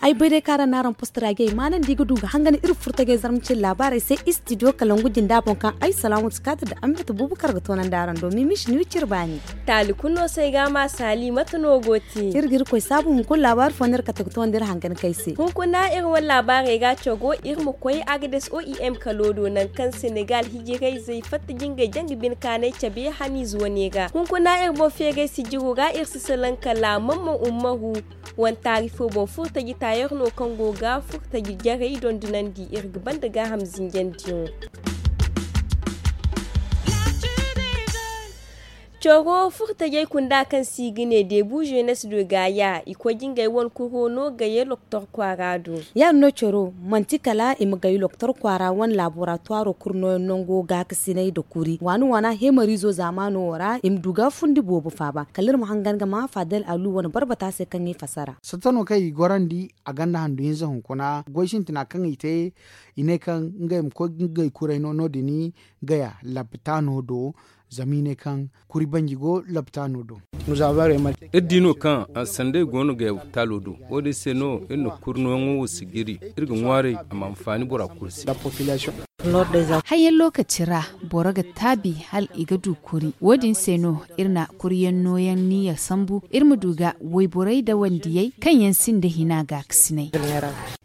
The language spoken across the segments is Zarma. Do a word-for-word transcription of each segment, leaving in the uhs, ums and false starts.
Ay bay day kaara n'araŋ post ra gay maanandi ga du ga hangan iri furtagay zarma cine laabaarey se istidiyo kalangu jinda boŋ kaŋ ay salaamu si kaati nda ambata buubu kar ga toonandi araŋ do mimishi ni wiciri baani. Taali kulu no se ay ga a ma saali mate no go te? Iri ga iri koy saabu hunkuna laabaari fo no iri kate ga toonandi iri hangan kay se. Hunkuna iri wane laabaarey ga cago iri ma koy agades o i m kalo do nangu kaŋ senegal hijirayzey fatta jingay janga bine kaanay cabe haniize wane ga hunkuna iri boŋ feeray sijiro ra iri si salaŋ kala mamman ummaru. Wane taari fo boŋ furtaji taayer no kaŋ go ga furtaji jarey dondonandi iri ga banda gaaham zinjandiyaŋo. Coro furtajey kunda kaŋ se i ga ne debu jenes do gaaya i koy ga ngey wane kuro no gaye loktor kwaara do. Ya- din no coro manti kala i ma gay loktor kwaara wane laboratuwaro kuru nooyaŋ nango gaakasinay nda kuri waani waana hemariizo zaamaano wo ra i ma du ga fundi boobo faaba kala iri ma hangan ga ma faadal alu wane barbata se kaŋ i fassara. Satta no kaŋ i gorandi a gonda handu hinza hunkuna goy sintina kaŋ i te i ne kaŋ ngey ma koy ga ngey kuray no no- din gaya lapitaano do. Zama i ne kaŋ kuri banji go lapitaano do. Iri di no kaŋ sanday go no gaya lapitaalo do wo- din se no iri na kuri nooyaŋo wo sijiri iri ga ŋwaaray a ma anfaani bora kulu se. Hayyaŋ lookaci ra boro ga taabi hala i ga du kuri wo- din se no iri na kuriyaŋ nooyaŋ niyya sambu iri ma du ga wayborey nda wandiyey kaŋ yaŋ sinda hina gaakasinay.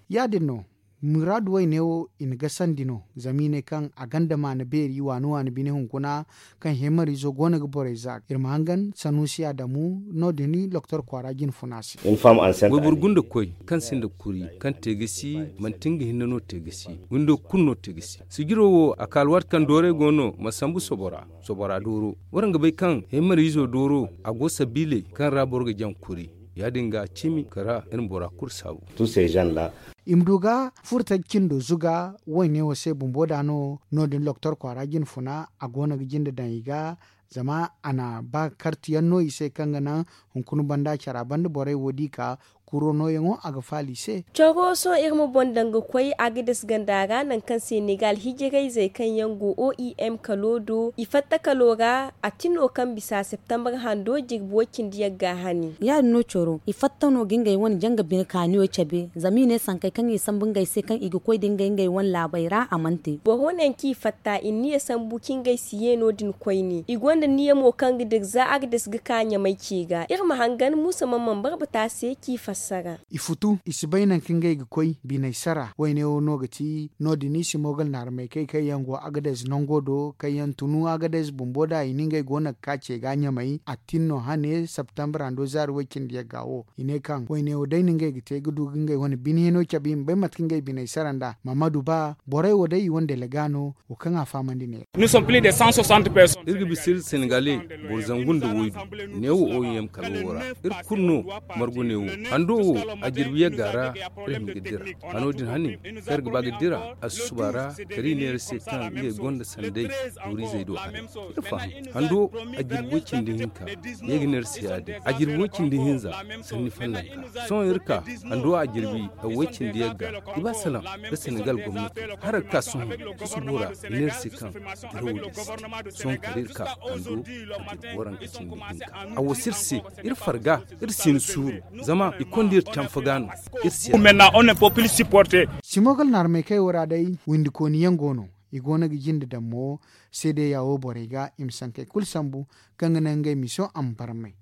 Ya- din no muraadu wayne wo i na gasandi no zama i ne kaŋ a gonda maana beeri waani waani bine hunkuna kaŋ hemariizo go no ga borey za iri ma hangan sanuusi adamu no- din loktor kwaara jinfuna se. Wayboro gunda koy kaŋ sinda kuri kaŋ te ga si manti nga hinne no te ga si windo kulu no te ga si sijiro wo a ka alwaati kaŋ doorey go no ma sambu sobora sobora dooro waraŋ ga bay kaŋ hemariizo dooro a go sabiiley kaŋ ra boro ga jaŋ kuri ya- din ga a cimi kara iri ma bora kulu saabu. I ma du ga furtaji cindo zuga wayne wo se bumbo da no no- din loktor kwaara jinfuna a go no ga jinde daŋ i ga zama a na ba kartiyaŋ no i se kaŋ ga naŋ hunkuna banda cara banda borey wo di ka kuro nooyaŋo a ga faala i se. Coro sohõ iri ma boŋ daŋ ga koy agades ganda ra nangu kaŋ senegal hijirayzey kaŋ yaŋ go o i m kalo do i fatta kalo ra a tino kaŋ bisa septembre hando jirbi way-cindi yagga hani. Ya- din no coro i fatta no ga ngey wane janga bine kaaniyo cabe zama i ne sankey kaŋ i sambu ngey se kaŋ i ga koy da ngey ngey wane laabey ra a mana te. Boro naŋ kaŋ i fatta i na niya sambu kaŋ ngey si ye no- din koyne i gonda niya mo kaŋ ga dira za agades ga ka ɲamay ce ga iri ma hangan muusa man man barbata se kaŋ i fassara. I futu i si bay nangu kaŋ ngey ga koy biney sara wayne wo no ga ti no- din i si moogal naarmey kay kaŋ yaŋ go agades nango do kaŋ yaŋ tunu agades bumbo da i na ngey go no ga ka ce ga ɲamay a tin no hane septembre hando zaari way-cindi yagga wo i ne kaŋ wayne wo day no ngey ga te ga du ga ngey wane bine hino cabe i ma bay mate kaŋ ngey biney sara nd'a mamadu ba borey wo day i wane delega no wo kaŋ a fahamandi ne. Iri ga bisa iri senegale boro zangu nda waydu neewo o i m kala wo ra iri kulu no margu neewo hando wo a jirbi yagga ra iri hin ga dira hano din hane kaŋ iri ga ba ga dira a susuba ra kala i ne iri se kaŋ ngey gonda sanday boriizey do haray iri faham hando a jirbi way-cindi hinka ye ga ne iri se ya- din a jirbi way-cindi hinza sanni fallanka sohõ iri ka hando a jirbi way-cindi yagga i ba salaŋ nda senegal gomnati hala ga ka sohõ susubo ra i ne iri se kaŋ dirawo din si te sohõ kala iri ka hando a jirbi waranka cindi hinka a wasa iri se iri farga iri si ni suuru zama i konda iri canfa ga no iri si ya. Simogal naarmey kaŋ ay wo ra day windikooni yaŋ go no i go no ga jinde daŋ mo seedeya wo borey ga i ma sankey kulu sambu kaŋ ga naŋ ngey miso a ma barmay.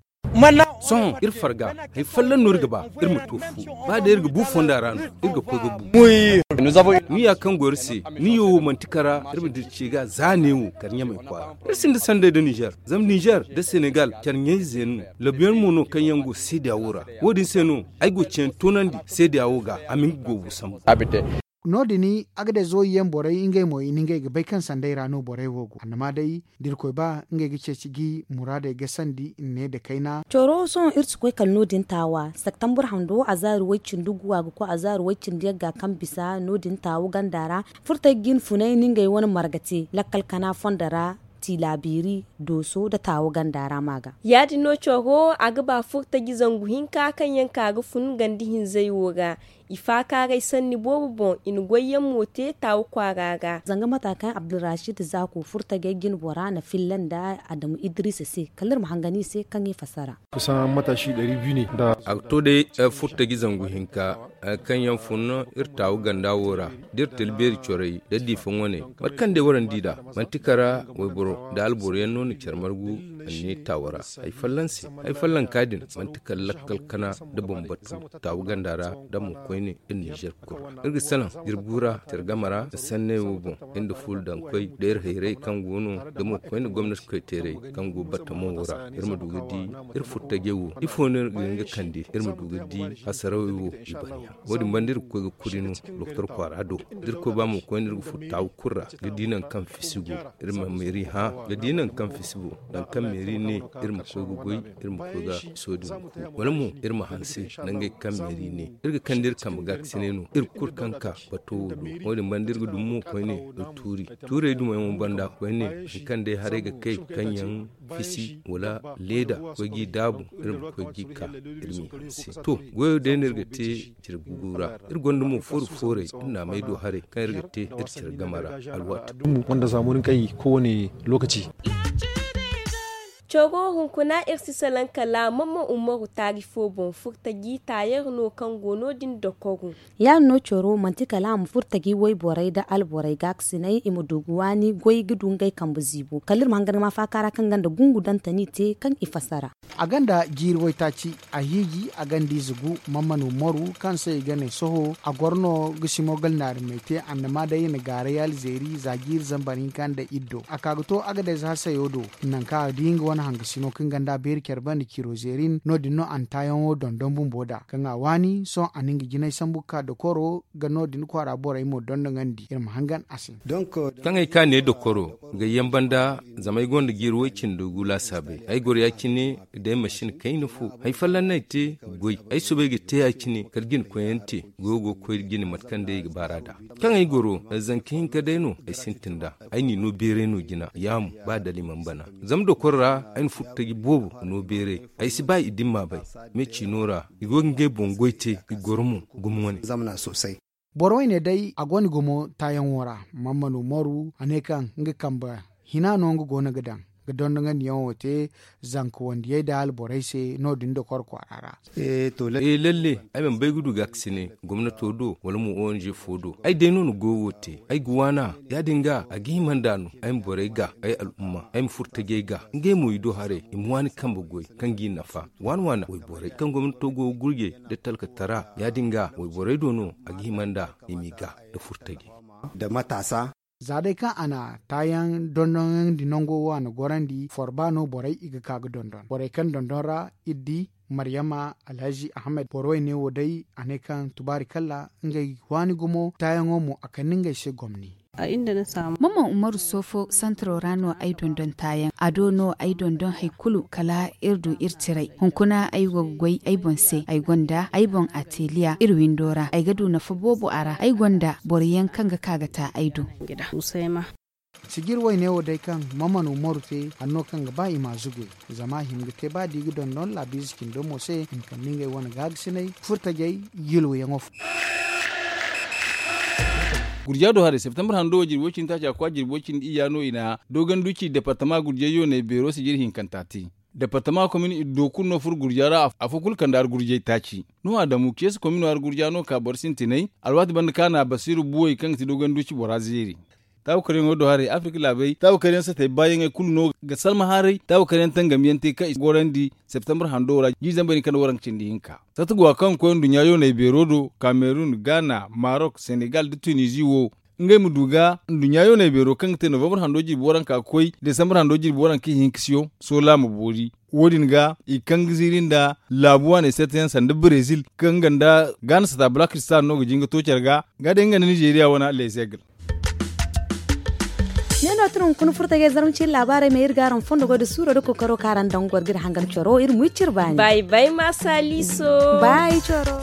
Sohõ iri farga hari folloŋ no iri ga ba iri ma to fu ba day iri ga bu fonda ra no iri ga koy ga bu niya kaŋ go iri se niyo wo manti kara iri ma dira ce ga za neewo kala ɲamay kwaara iri sinda sanday nda nizer zama nizer nda senegal care ɲayze no labuyaŋ mo no kaŋ yaŋ go seedeya wo ra wo- din se no ay go ceeyaŋ toonandi seedeya wo ga a ma nga goobu sambu. No- din agades wo yaŋ borey ngey mo i na ngey ga bay kaŋ sanday ra no borey wo go annama day da irkoy ba ngey ga ceeci ga i muraadey gasandi nne nda kayna. Coro sohõ iri si koy kala no- din taawa septembre hando azaari way-cindi gu a ga koy azaari way-cindi yagga kaŋ bisa no- din taawa ganda ra furtay ga jinfunay na ngey wane marga te lakkal kana fondo ra. Tilaabiri, Dooso nda Taawo ganda ra ma ga. Ya- din no coro a ga ba furtaji zangu hinka kaŋ yaŋ ka ga fun ganda hinzey wo ra. I faakaaray sanni boobo boŋ i na goyyaŋ mo te Taawo kwaara ra. Zanga mata kaŋ Abdulrashid Zaako furtajey jine bora na filla nda Adamu Idrisa se kala iri ma hangan i se kaŋ i fassara. A ga to day furtaji zangu hinka kaŋ yaŋ fun iri Taawo ganda wo ra da iri talbeeri corey da diifa ŋwaney. Mate kaŋ day warandi nd'a manti kara wayboro nda alboro yaŋ no na care margu anniya Taawo ra. Hari fallanka din manti kala lakkal kana nda bambatu Taawo ganda ra nda mo koyne iri ninzeer kulu ra. Iri ga salaŋ jirbu ra care game ra nda sanney wo boŋ, iri nda fuula daŋ koy nda iri hayrey kaŋ go no nda mo koyne gomnati koyteerey kaŋ go batamo wo ra. Iri ma du ga di iri furtajey wo ifo no iri ga hin ga kande iri ma du ga di hasarawey wo i bana yaŋ. Wo- din banda iri ga koy ga kuri no doktor kwaara do da iri koy ba mo koyne iri ga furo Taawo kulu ra ga di nangu kaŋ fisi go. Iri ma meeri hã ga di nangu kaŋ fisi go. Nangu kaŋ meeri ne iri ma koy ga goy iri ma koy ga soodin ku wala mo iri ma hanse nangey kaŋ meeri ne iri ga kande iri kambe ga ga sinay no iri kulu kaŋ ka bato wo do. Wo- din banda iri ga dumi mo koyne ga tuuri tuurey dumo yaŋo banda koyne hari kaŋ day haray ga kay kaŋ yaŋ fisi wala leeda koy g'i daabu iri ma koy g'i ka iri m'i hanse. To goyo day no iri ga te cire gugu ra. Iri gonda mo fooru foorey iri na a may do haray kaŋ iri ga te iri care game ra alwaati dumbu wanda zamani kaŋ i kowane lokaci. Coro hunkuna iri si salaŋ kala mamman umaru taari fo boŋ furtaji taayer no kaŋ go no- din dokoru. Ya- din no coro manti kala a ma furtaji wayborey nda alborey gaakasinay i ma du ga waani goy ga du ngey kambe ziibo kala iri ma hangan ga ma faaka ra kaŋ gonda gungu dantani te kaŋ i fassara. A gonda jiiri waytaaci a hiiji a gonda ize gu. Mammanu moru kaŋ se i ga ne sohõ a goro no ga simo galnaari may te annama day i na gaaray alzeeri za jiiri zambar hinka nda iddo a ka ga to agadez hasayo do. Nangu kaŋ a di nga wane hangasino kaŋ gonda beeri care banda ciro zeerin no- din no a na taayaŋo dondon bumbo nd'a kaŋ a waani sohõ a na nga jinay sambu ga ka dokoro ga no- din kwaara borey mo dondoŋandi iri ma hangan a se. Kaŋ ay ka ne dokoro gayyaŋ banda zama ay gonda jiiri way cindi gu laasaabey ay goro ya- cine day masin kayna fo. Hay folloŋ no ay te goy ay soobay ga te ya- cine kala jina koyante goyo go ga koy jina mate kaŋ day i ga baar'a nd'a. Kaŋ ay goro zanka hinka day no ay sintin nd'a. Ay n'i no beeray no jina yaamu ba dala i mana bana. Zama dokoro ra ay na furo taji boobo no beeray. Ay si ba i dimma bay me ciino ra i go ga ngey boŋ goy te i goro mo gumo wane. Boro wayne day a gonda gumo taayaŋo ra. Mammanu moru a ne kaŋ nga kambe hina no nga go no ga daŋ ga dondoŋandiyaŋo te zanka wandiyey da alborey se no- din dokoro kwaara ra. E lalle ay mana bay ga du gaakasine gomnato do wala mo ong fo do ay day no na goyo wo te ay ga waana. Ya- din ga a ga hima nd'a no ay ma borey ga ay al'umma ay ma furo tajey ga ngey mo i do haray i ma waani kambe goy kaŋ g'i nafa. Waana waana wayborey kaŋ gomnato go ga gurjey nda talkatara ya- din ga wayborey do no a ga hima nd'a i m'i ga nda furo tajey. Za day kaŋ a na taayaŋ dondonandi nango wo a na gorandi forba no borey i ga ka ga dondon borey kaŋ dondon ra iri di maryama alhazi ahmed boro wayne wo day a ne kaŋ tubaari kalla ngey waani gumo taayaŋo mo a kande ngey se gomni. Maman umaru soofo santaro ra no ay dondon taayaŋ a do no ay dondon hari kulu kala iri du iri tiray hunkuna ay go ga goy ay boŋ se ay gonda ay boŋ ateliya iri windo ra ay ga du nafa boobo a ra ay gonda boro yaŋ kaŋ ga ka ga ta ay do. Sijir wayne wo day kaŋ maman umaru te hanno kaŋ ga ba i ma zuge zama a hin ga te ba da i ga dondon laabiize cindo mo se i ma kande ngey wane gaagasinay furtajey yulwayaŋo fo. Gurja do haray septembre hando wo jirbi way cindi taaci a kwa jirbi way cindi iyya no i na dooganduci departama gurjay yooney beero sijir hinkanta te. Departama komin iddo kulu no furo gurja ra afo kulu kande argurjay taaci. Nuhu adamu ceesi komino argurja no ka boro sintinay alwaati banda kaŋ a na basiiru buwey kaŋ ga ti dooganduci bora zeeri. Taabukaryaŋo do haray afirka laabey taabukaryaŋ satey baayaŋey kulu no ga salma haray taabukaryaŋ tangamyaŋ te kaŋ i gorandi septembre hando ra jiiri zambar hinka nda waranka cindi hinka. Sata go a kaŋ ga koy nduɲɲa yooney beero do kamerun gaana marok senegal nda tunizi wo. Ngey ma du ga nduɲɲa yooney beero kaŋ ga te novembre hando jirbi waranka ga koy desambre hando jirbi waranka ihinka siyo soola ma boori. Wo- din ga i kaŋ ga ziiri nda laabu waaney seetayaŋ sanda brezil kaŋ nga nda gaana sata black star no ga jin ga to care ga nga day nga nda nizeeriya wane lezeegl. Ne no tun hunkuna furtajey zarma ciiri laabaarey ma iri ga araŋ fondo goy nda suuro nda kookaro kaŋ araŋ daŋ goro ga iri hangan coro iri ma wi cire baani. Bay bay maasa liiso. Bay coro.